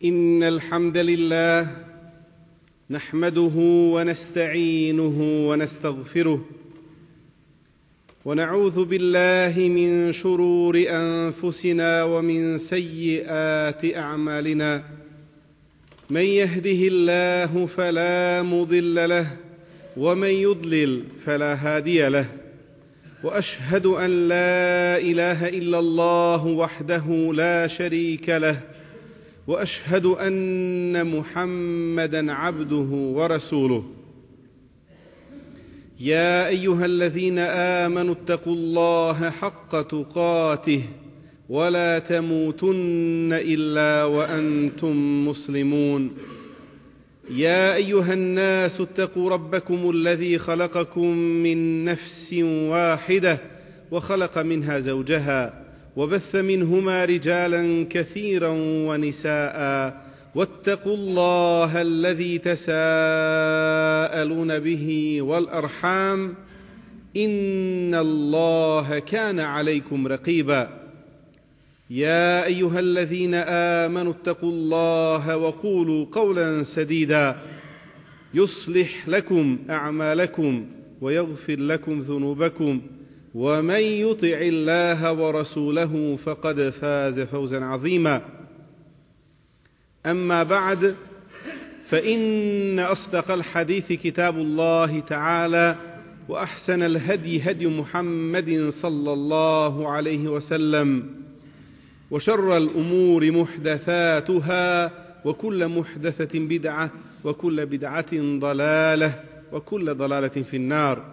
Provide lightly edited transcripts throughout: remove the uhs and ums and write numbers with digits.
إن الحمد لله نحمده ونستعينه ونستغفره ونعوذ بالله من شرور أنفسنا ومن سيئات أعمالنا من يهده الله فلا مضل له ومن يضلل فلا هادي له وأشهد أن لا إله إلا الله وحده لا شريك له وأشهد أن محمدًا عبده ورسوله يا أيها الذين آمنوا اتقوا الله حق تقاته ولا تموتن إلا وأنتم مسلمون يا أيها الناس اتقوا ربكم الذي خلقكم من نفس واحدة وخلق منها زوجها وبث منهما رجالا كثيرا ونساء واتقوا الله الذي تساءلون به والأرحام إن الله كان عليكم رقيبا يا أيها الذين آمنوا اتقوا الله وقولوا قولا سديدا يصلح لكم أعمالكم ويغفر لكم ذنوبكم ومن يطع الله ورسوله فقد فاز فوزا عظيما أما بعد فإن أصدق الحديث كتاب الله تعالى وأحسن الهدي هدي محمد صلى الله عليه وسلم وشر الأمور محدثاتها وكل محدثة بدعة وكل بدعة ضلالة وكل ضلالة في النار.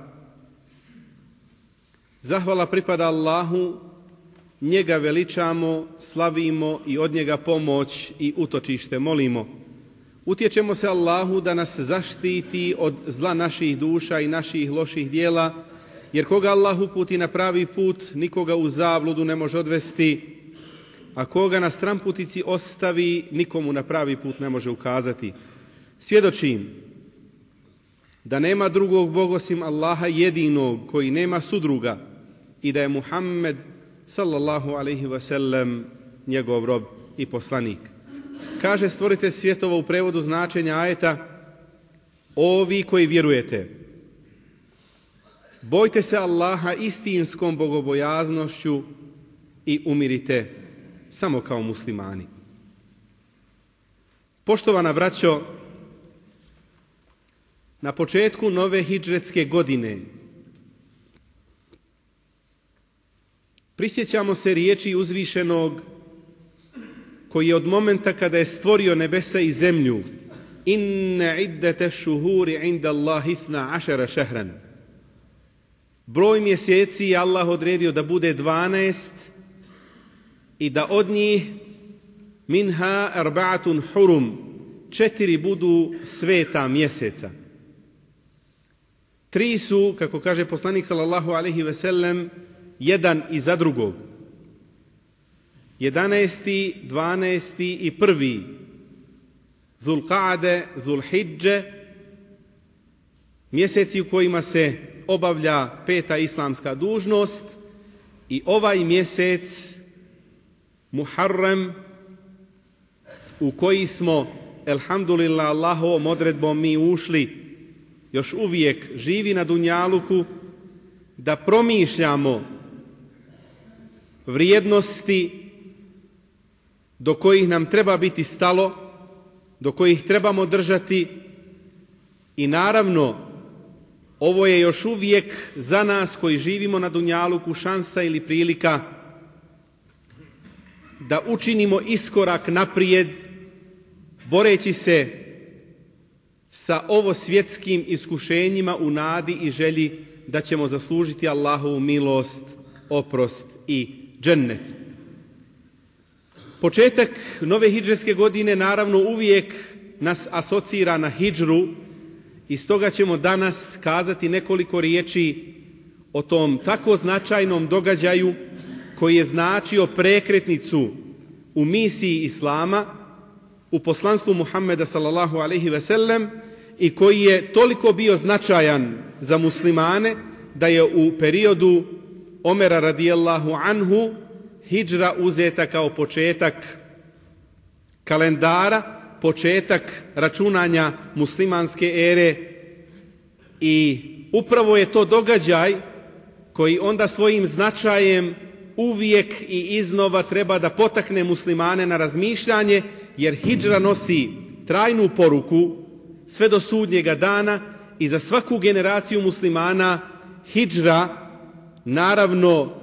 Zahvala pripada Allahu, njega veličamo, slavimo i od njega pomoć i utočište molimo. Utječemo se Allahu da nas zaštiti od zla naših duša i naših loših dijela, jer koga Allah uputi na pravi put, nikoga u zabludu ne može odvesti, a koga na stranputici ostavi, nikomu na pravi put ne može ukazati. Svjedočim da nema drugog Boga osim Allaha jedinog koji nema sudruga i da je Muhammed sallallahu alaihi wasallam njegov rob i poslanik. Kaže stvoritelj svjetova u prevodu značenja ajeta: ovi koji vjerujete, bojte se Allaha istinskom bogobojaznošću i umirite samo kao muslimani. Poštovana braćo, na početku nove hidžretske godine prisjećamo se riječi uzvišenog koji je od momenta kada je stvorio nebesa i zemlju: inne iddete šuhuri inda Allahi 12 šehran. Broj mjeseci je Allah odredio da bude 12 i da od njih minha arba'atun hurum, 4 budu sveta mjeseca. 3 su, kako kaže poslanik sallallahu alaihi ve sellem, jedan iza drugog. 11., 12. i 1. Zulqa'ade, Zulhidže, mjeseci u kojima se obavlja 5. islamska dužnost, i ovaj mjesec Muharrem u koji smo, elhamdulillah, Allahovom odredbom mi ušli, još uvijek živi na dunjaluku, da promišljamo vrijednosti do kojih nam treba biti stalo, do kojih trebamo držati i naravno ovo je još uvijek za nas koji živimo na dunjaluku šansa ili prilika da učinimo iskorak naprijed boreći se sa ovo svjetskim iskušenjima u nadi i želji da ćemo zaslužiti Allahovu milost, oprost i džennet. Početak nove hidžretske godine naravno uvijek nas asocira na hidžru i stoga ćemo danas kazati nekoliko riječi o tom tako značajnom događaju koji je značio prekretnicu u misiji Islama, u poslanstvu Muhammeda sallallahu alejhi ve sellem i koji je toliko bio značajan za muslimane da je u periodu Omera radijallahu anhu hidžra uzeta kao početak kalendara, početak računanja muslimanske ere i upravo je to događaj koji onda svojim značajem uvijek i iznova treba da potakne muslimane na razmišljanje, jer hidžra nosi trajnu poruku sve do sudnjega dana i za svaku generaciju muslimana hidžra naravno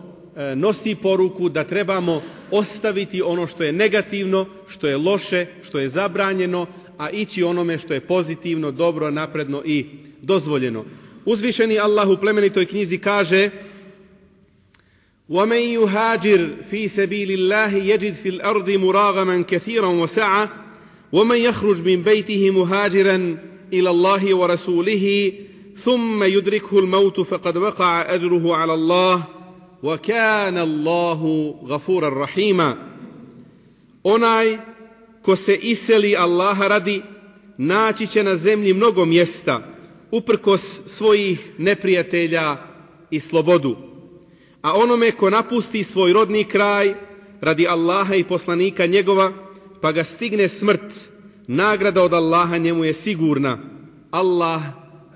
nosi poruku da trebamo ostaviti ono što je negativno, što je loše, što je zabranjeno, a ići onome što je pozitivno, dobro, napredno i dozvoljeno. Uzvišeni Allah u plemenitoj knjizi kaže: وَمَنْ يُهَاجِرْ فِي سَبِيلِ اللَّهِ يَجِدْ فِي الْأَرْضِ مُرَاغَمًا كَثِيرًا وَسَعًا وَمَنْ يَخْرُجْ مِنْ بَيْتِهِ مُهَاجِرًا إِلَى اللَّهِ وَرَسُولِهِ ثُمَّ يُدْرِكْهُ الْمَوْتُ فَقَدْ وَقَعَ أَجْرُهُ عَلَى اللَّهِ وَكَانَ اللَّهُ غَفُورًا رَحِيمًا. Onaj ko se iseli Allaha radi, naći će na zemlji mnogo mjesta, uprkos svojih neprijatelja i slobodu. A onome ko napusti svoj rodni kraj radi Allaha i poslanika njegova, pa ga stigne smrt, nagrada od Allaha njemu je sigurna. Allah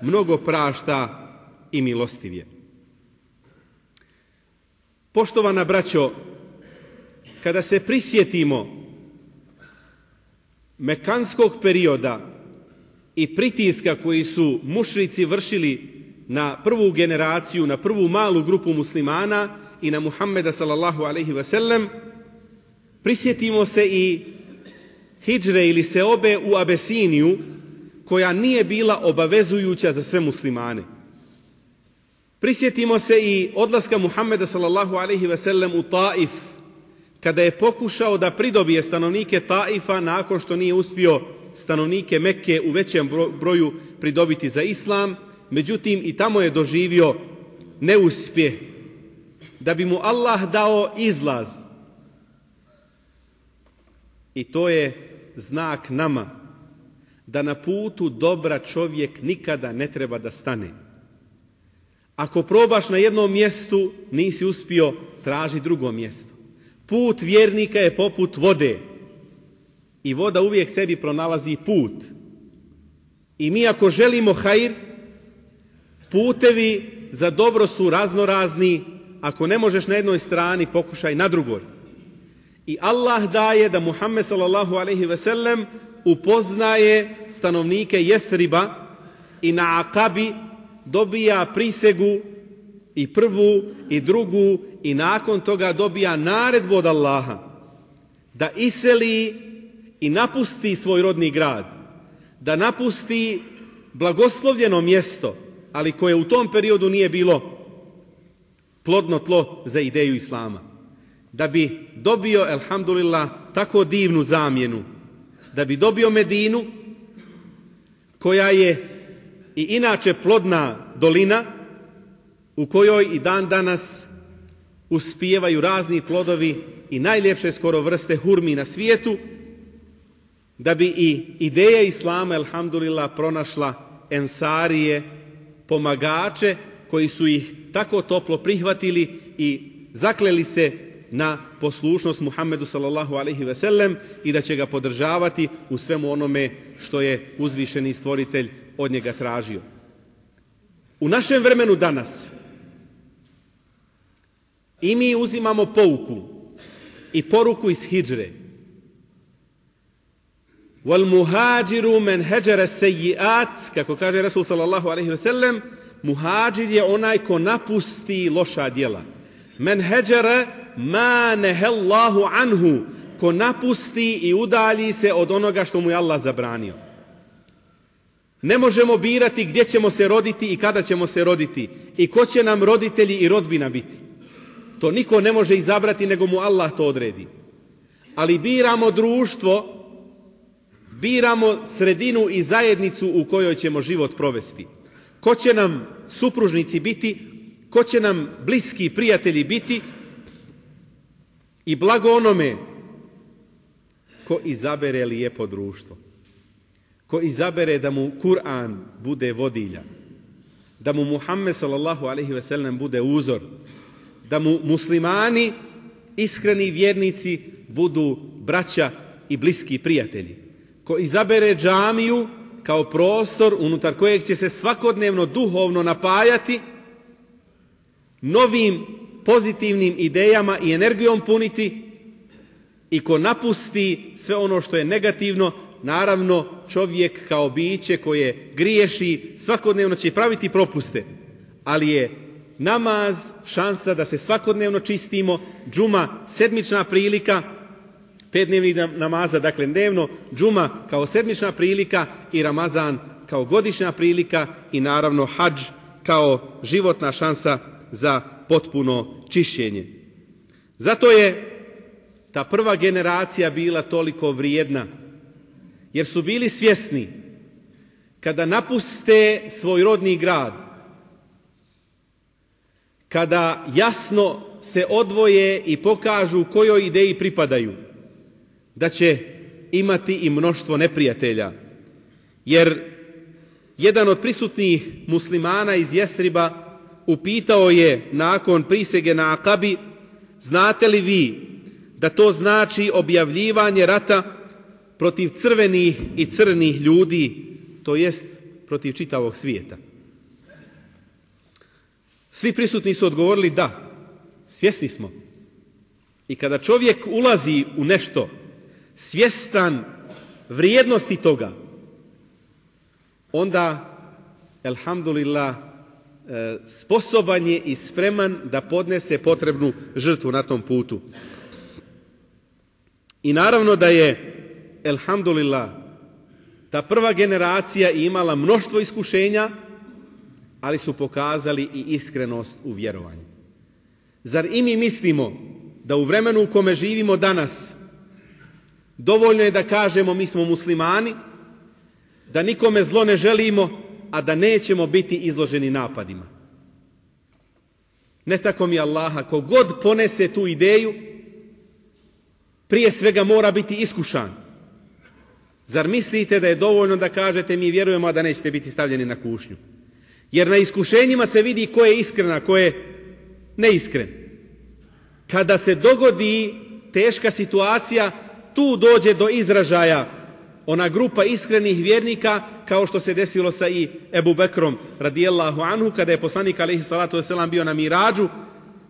mnogo prašta i milostiv je. Poštovana braćo, kada se prisjetimo mekanskog perioda i pritiska koji su mušrici vršili na prvu generaciju, na prvu malu grupu muslimana i na Muhammeda sallallahu alejhi ve sellem, prisjetimo se i hidžre ili seobe u Abesiniju, koja nije bila obavezujuća za sve muslimane. Prisjetimo se i odlaska Muhammeda sallallahu alejhi ve sellem u Taif, kada je pokušao da pridobije stanovnike Taifa nakon što nije uspio stanovnike Mekke u većem broju pridobiti za islam. Međutim, i tamo je doživio neuspjeh. Da bi mu Allah dao izlaz. I to je znak nama da na putu dobra čovjek nikada ne treba da stane. Ako probaš na jednom mjestu, nisi uspio, traži drugo mjesto. Put vjernika je poput vode. I voda uvijek sebi pronalazi put. I mi ako želimo hajr, putevi za dobro su raznorazni. Ako ne možeš na jednoj strani, pokušaj na drugoj. I Allah daje da Muhammed sallallahu alejhi ve sellem upoznaje stanovnike Jethriba i na Akabi dobija prisegu i prvu i drugu i nakon toga dobija naredbu od Allaha da iseli i napusti svoj rodni grad, da napusti blagoslovljeno mjesto, ali koje u tom periodu nije bilo plodno tlo za ideju Islama. Da bi dobio, elhamdulillah, tako divnu zamjenu, da bi dobio Medinu, koja je i inače plodna dolina, u kojoj i dan danas uspijevaju razni plodovi i najljepše skoro vrste hurmi na svijetu, da bi i ideja Islama, elhamdulillah, pronašla ensarije, pomagače koji su ih tako toplo prihvatili i zakleli se na poslušnost Muhammedu sallallahu alejhi ve sellem i da će ga podržavati u svemu onome što je uzvišeni stvoritelj od njega tražio. U našem vremenu danas i mi uzimamo pouku i poruku iz hidžre. Wal muhađiru men heđara sejjiat, kako kaže Rasul sallallahu alejhi ve sellem, muhađir je onaj ko napusti loša djela. Men heđara ma nehellahu anhu, ko napusti i udalji se od onoga što mu je Allah zabranio. Ne možemo birati gdje ćemo se roditi i kada ćemo se roditi i ko će nam roditelji i rodbina biti. To niko ne može izabrati, nego mu Allah to odredi. Ali biramo društvo, biramo sredinu i zajednicu u kojoj ćemo život provesti. Ko će nam supružnici biti, ko će nam bliski prijatelji biti i blago onome ko izabere lijepo društvo. Ko izabere da mu Kur'an bude vodilja, da mu Muhammed sallallahu alejhi ve sellem bude uzor, da mu muslimani, iskreni vjernici, budu braća i bliski prijatelji. Ko izabere džamiju kao prostor unutar kojeg će se svakodnevno duhovno napajati, novim pozitivnim idejama i energijom puniti, i ko napusti sve ono što je negativno, naravno čovjek kao biće koje griješi svakodnevno će praviti propuste, ali je namaz šansa da se svakodnevno čistimo, džuma sedmična prilika, 5 dnevnih namaza, dakle dnevno, džuma kao sedmična prilika i Ramazan kao godišnja prilika i naravno hadž kao životna šansa za potpuno čišćenje. Zato je ta prva generacija bila toliko vrijedna, jer su bili svjesni kada napuste svoj rodni grad, kada jasno se odvoje i pokažu kojoj ideji pripadaju, da će imati i mnoštvo neprijatelja. Jer jedan od prisutnih muslimana iz Jethriba upitao je nakon prisege na Akabi: znate li vi da to znači objavljivanje rata protiv crvenih i crnih ljudi, to jest protiv čitavog svijeta? Svi prisutni su odgovorili da, svjesni smo. I kada čovjek ulazi u nešto svjestan vrijednosti toga, onda, elhamdulillah, sposoban je i spreman da podnese potrebnu žrtvu na tom putu. I naravno da je, elhamdulillah, ta prva generacija imala mnoštvo iskušenja, ali su pokazali i iskrenost u vjerovanju. Zar i mi mislimo da u vremenu u kome živimo danas dovoljno je da kažemo mi smo muslimani, da nikome zlo ne želimo, a da nećemo biti izloženi napadima? Ne tako mi Allaha, kogod ponese tu ideju, prije svega mora biti iskušan. Zar mislite da je dovoljno da kažete mi vjerujemo, a da nećete biti stavljeni na kušnju? Jer na iskušenjima se vidi ko je iskren, a ko je neiskren. Kada se dogodi teška situacija, tu dođe do izražaja ona grupa iskrenih vjernika, kao što se desilo sa i Ebu Bekrom radijallahu anhu, kada je poslanik alejhi salatu vesselam bio na Miradžu,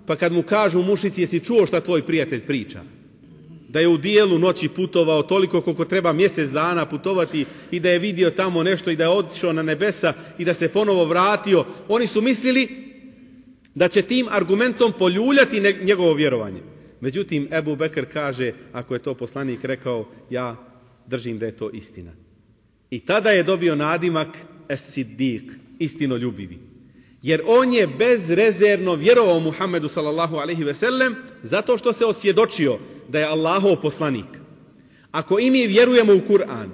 pa kad mu kažu mušici: jesi čuo šta tvoj prijatelj priča? Da je u dijelu noći putovao toliko koliko treba mjesec dana putovati i da je vidio tamo nešto i da je otišao na nebesa i da se ponovo vratio. Oni su mislili da će tim argumentom poljuljati njegovo vjerovanje. Međutim, Ebu Bekr kaže: ako je to poslanik rekao, ja držim da je to istina. I tada je dobio nadimak Es-Siddiq, istinoljubivi. Jer on je bezrezervno vjerovao Muhammedu sallallahu alejhi ve sellem zato što se osvjedočio da je Allahov poslanik. Ako i mi vjerujemo u Kur'an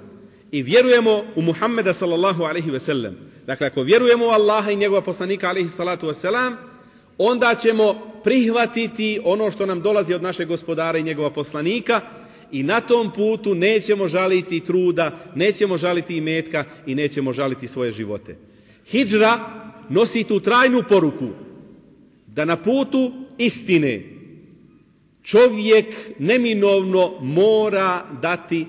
i vjerujemo u Muhammeda sallallahu alejhi ve sellem, dakle ako vjerujemo u Allaha i njegova poslanika alejhi salatu vesselam, onda ćemo prihvatiti ono što nam dolazi od našeg gospodara i njegova poslanika i na tom putu nećemo žaliti truda, nećemo žaliti imetka i nećemo žaliti svoje živote. Hidžra nosi tu trajnu poruku da na putu istine čovjek neminovno mora dati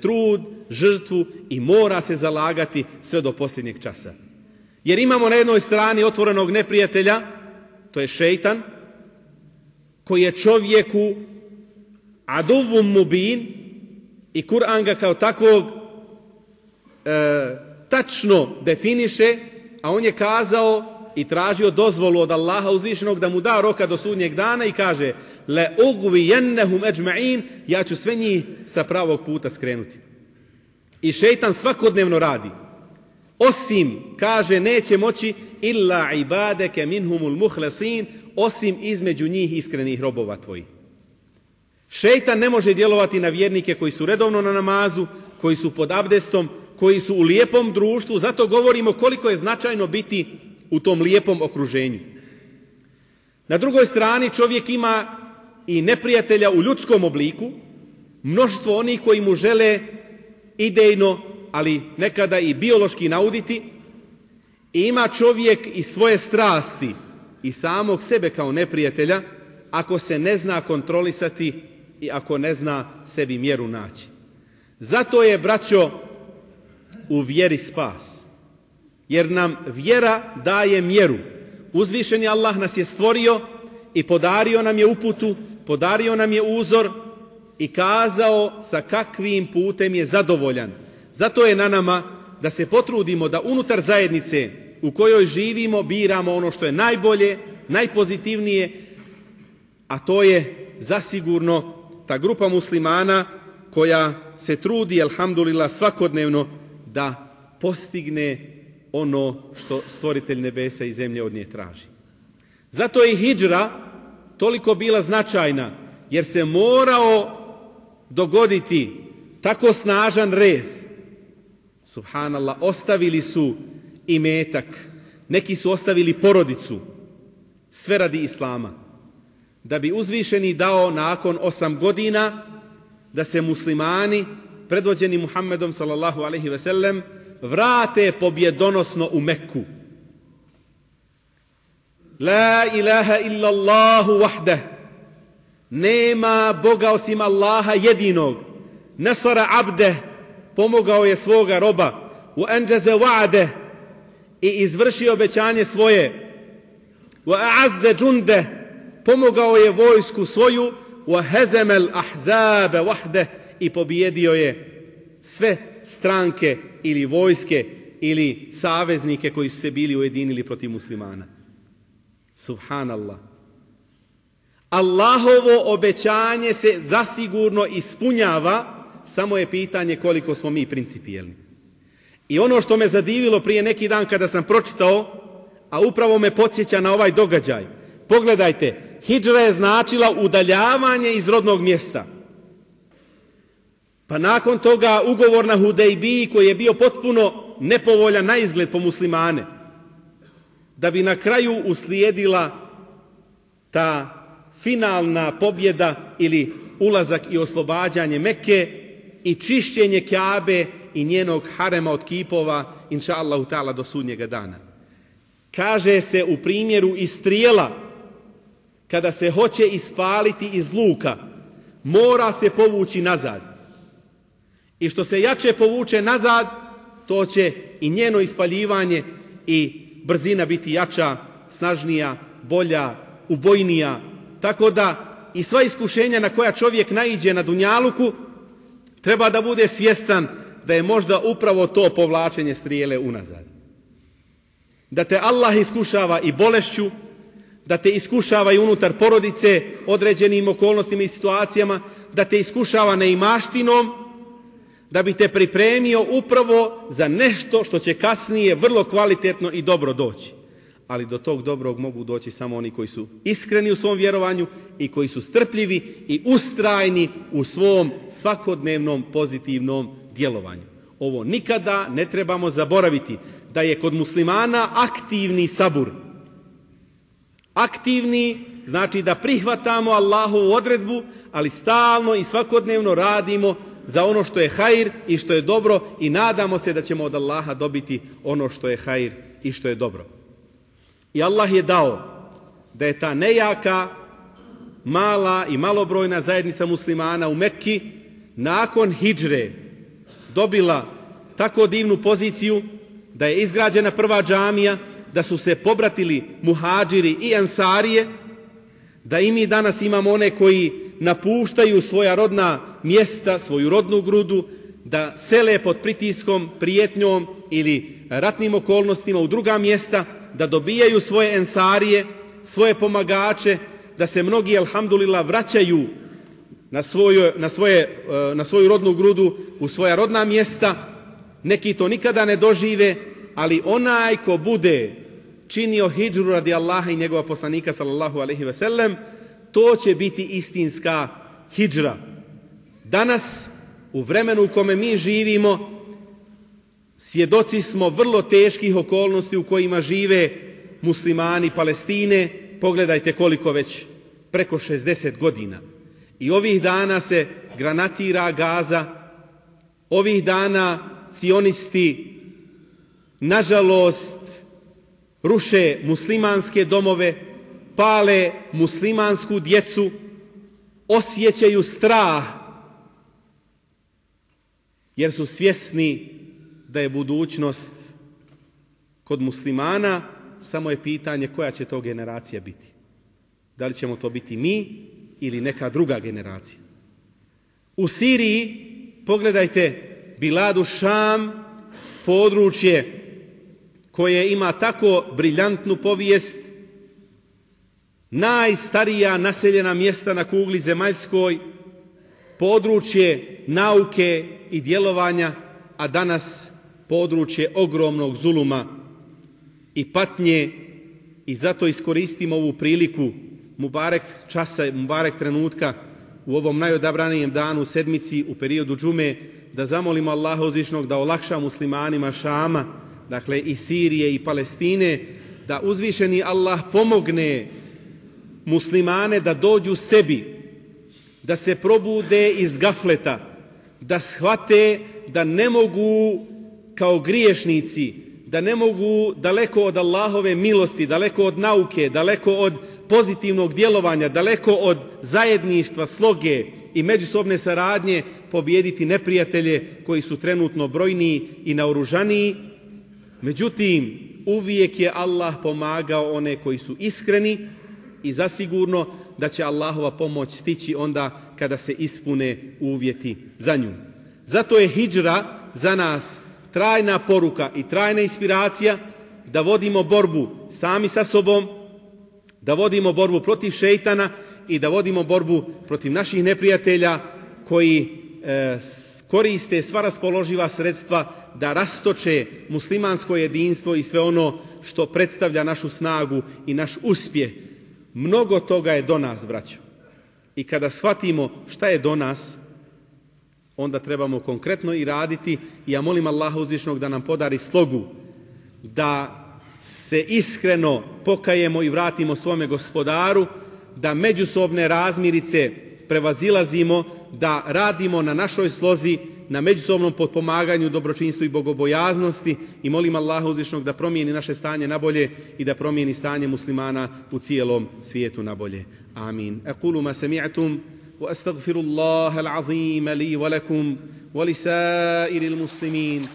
trud, žrtvu i mora se zalagati sve do posljednjeg časa. Jer imamo na jednoj strani otvorenog neprijatelja, to je šejtan, koji je čovjeku aduvum mubin i Kur'an ga kao takvog tačno definiše, a on je kazao i tražio dozvolu od Allaha uzvišenog da mu da roka do sudnjeg dana i kaže le ugvijennehum ejma'in, ja ću sve njih sa pravog puta skrenuti. I šejtan svakodnevno radi. Osim, kaže, neće moći illa ibadeke minhumul muhlasin, osim između njih iskrenih robova tvojih. Šejtan ne može djelovati na vjernike koji su redovno na namazu, koji su pod abdestom, koji su u lijepom društvu, zato govorimo koliko je značajno biti u tom lijepom okruženju. Na drugoj strani čovjek ima i neprijatelja u ljudskom obliku, mnoštvo onih koji mu žele idejno, ali nekada i biološki nauditi, i ima čovjek i svoje strasti i samog sebe kao neprijatelja ako se ne zna kontrolisati i ako ne zna sebi mjeru naći. Zato je, braćo, u vjeri spas. Jer nam vjera daje mjeru. Uzvišeni Allah nas je stvorio i podario nam je uputu, podario nam je uzor i kazao sa kakvim putem je zadovoljan. Zato je na nama da se potrudimo da unutar zajednice u kojoj živimo biramo ono što je najbolje, najpozitivnije, a to je zasigurno ta grupa muslimana koja se trudi, alhamdulillah, svakodnevno da postigne ono što stvoritelj nebesa i zemlje od nje traži. Zato je hidžra toliko bila značajna, jer se morao dogoditi tako snažan rez. Subhanallah, ostavili su imetak, neki su ostavili porodicu, sve radi Islama. Da bi uzvišeni dao nakon 8 godina da se muslimani, predvođeni Muhammedom sallallahu alejhi ve sellem, vrate pobjedonosno u Mekku. La ilaha illallahu wahdah. Nema Boga osim Allaha jedinog. Nasara abdeh, pomogao je svoga roba. Wa anjaza wa'deh, i izvršio obećanje svoje. Wa a'azza jundah, pomogao je vojsku svoju. Wa hazama al-ahzaba wahdah, i pobjedio je sve stranke ili vojske ili saveznike koji su se bili ujedinili protiv muslimana. Subhanallah. Allahovo obećanje se zasigurno ispunjava, samo je pitanje koliko smo mi principijelni. I ono što me zadivilo prije neki dan kada sam pročitao, a upravo me podsjeća na ovaj događaj. Pogledajte, hidžra je značila udaljavanje iz rodnog mjesta. Pa nakon toga ugovor na Hudejbiji koji je bio potpuno nepovoljan na izgled po muslimane, da bi na kraju uslijedila ta finalna pobjeda ili ulazak i oslobađanje Mekke i čišćenje Kjabe i njenog harema od kipova, inša Allahu ta'ala, do sudnjega dana. Kaže se u primjeru istrijela, kada se hoće ispaliti iz luka, mora se povući nazad. I što se jače povuče nazad, to će i njeno ispaljivanje i brzina biti jača, snažnija, bolja, ubojnija. Tako da i sva iskušenja na koja čovjek naiđe na dunjaluku, treba da bude svjestan da je možda upravo to povlačenje strijele unazad. Da te Allah iskušava i bolešću, da te iskušava i unutar porodice određenim okolnostima i situacijama, da te iskušava neimaštinom, da bi te pripremio upravo za nešto što će kasnije vrlo kvalitetno i dobro doći. Ali do tog dobrog mogu doći samo oni koji su iskreni u svom vjerovanju i koji su strpljivi i ustrajni u svom svakodnevnom pozitivnom djelovanju. Ovo nikada ne trebamo zaboraviti, da je kod muslimana aktivni sabur. Aktivni znači da prihvatamo Allahovu odredbu, ali stalno i svakodnevno radimo za ono što je hajr i što je dobro i nadamo se da ćemo od Allaha dobiti ono što je hajr i što je dobro. I Allah je dao da je ta nejaka mala i malobrojna zajednica muslimana u Mekki nakon hidžre dobila tako divnu poziciju da je izgrađena prva džamija, da su se pobratili muhadžiri i ansarije, da i mi danas imamo one koji napuštaju svoja rodna mjesta, svoju rodnu grudu, da sele pod pritiskom, prijetnjom ili ratnim okolnostima u druga mjesta, da dobijaju svoje ensarije, svoje pomagače, da se mnogi, alhamdulillah, vraćaju na svoju rodnu grudu, u svoja rodna mjesta. Neki to nikada ne dožive, ali onaj ko bude činio hidžru radi Allaha i njegova poslanika sallallahu alejhi ve sellem, to će biti istinska hidžra. Danas, u vremenu u kome mi živimo, svjedoci smo vrlo teških okolnosti u kojima žive muslimani Palestine. Pogledajte koliko već, preko 60 godina. I ovih dana se granatira Gaza, ovih dana cionisti, nažalost, ruše muslimanske domove, pale muslimansku djecu, osjećaju strah, jer su svjesni da je budućnost kod muslimana, samo je pitanje koja će to generacija biti. Da li ćemo to biti mi ili neka druga generacija. U Siriji, pogledajte, Biladu Šam, područje koje ima tako briljantnu povijest, najstarija naseljena mjesta na kugli zemaljskoj, područje nauke i djelovanja, a danas područje ogromnog zuluma i patnje. I zato iskoristimo ovu priliku, mubarek časa, mubarek trenutka u ovom najodabranijem danu sedmici u periodu džume, da zamolimo Allaha uzvišnog da olakša muslimanima Šama, dakle i Sirije i Palestine, da uzvišeni Allah pomogne muslimane da dođu sebi, da se probude iz gafleta, da shvate da ne mogu kao griješnici, da ne mogu daleko od Allahove milosti, daleko od nauke, daleko od pozitivnog djelovanja, daleko od zajedništva, sloge i međusobne saradnje pobijediti neprijatelje koji su trenutno brojniji i naoružaniji. Međutim, uvijek je Allah pomagao one koji su iskreni i zasigurno da će Allahova pomoć stići onda kada se ispune uvjeti za nju. Zato je hidžra za nas trajna poruka i trajna inspiracija da vodimo borbu sami sa sobom, da vodimo borbu protiv šejtana i da vodimo borbu protiv naših neprijatelja koji koriste sva raspoloživa sredstva da rastoče muslimansko jedinstvo i sve ono što predstavlja našu snagu i naš uspjeh. Mnogo toga je do nas, braćo. I kada shvatimo šta je do nas, onda trebamo konkretno i raditi. I ja molim Allaha uzvišnog da nam podari slogu, da se iskreno pokajemo i vratimo svome Gospodaru, da međusobne razmirice prevazilazimo, da radimo na našoj slozi, na međusobnom potpomaganju, dobročinstvu i bogobojaznosti. I molim Allaha uzvišnog da promijeni naše stanje na bolje i da promijeni stanje muslimana u cijelom svijetu na bolje. Amin. Aqulu ma sami'tum wa astaghfirullaha al-azim li wa lakum wa li sa'iril muslimin.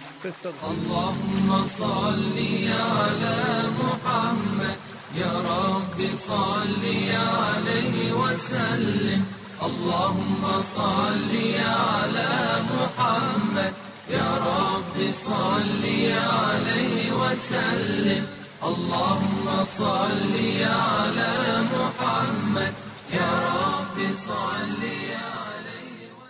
Allahumma salli ala Muhammad ya Rabbi salli alayhi wa sallim. اللهم صل على محمد يا رب صل عليه وسلم اللهم صل